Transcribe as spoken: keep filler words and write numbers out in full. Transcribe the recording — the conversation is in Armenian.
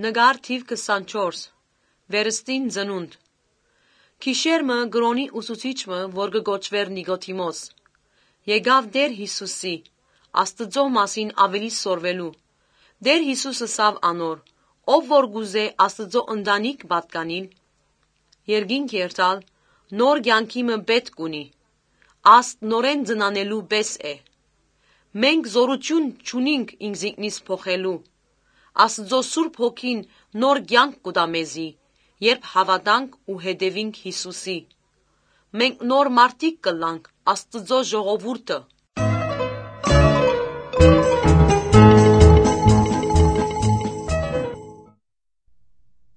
Նկար թիվ քսանչորս Վերստին ծնունդ Քիշերմը գրոնի ուսուցիչմը, որ կգոչվեր Նիկոդիմոս, եկավ Տեր Հիսուսի, Աստծո մասին ավելի սորվելու։ Տեր Հիսուսը սավ անոր, ով որ գուզե Աստծո ընտանիք պատկանիլ, երկինք երթալ, նոր կյանքիմը պետք ունի, աստ նորեն ծնանելու պես է։ Մենք զորություն չունինք ինքզինքնից փոխելու, Աստծո Սուրբ Հոգին նոր կյանք կտա մեզի, երբ հավատանք ու հետևինք Հիսուսի։ Մենք նոր մարդիկ կլանք Աստծո ժողովուրդը,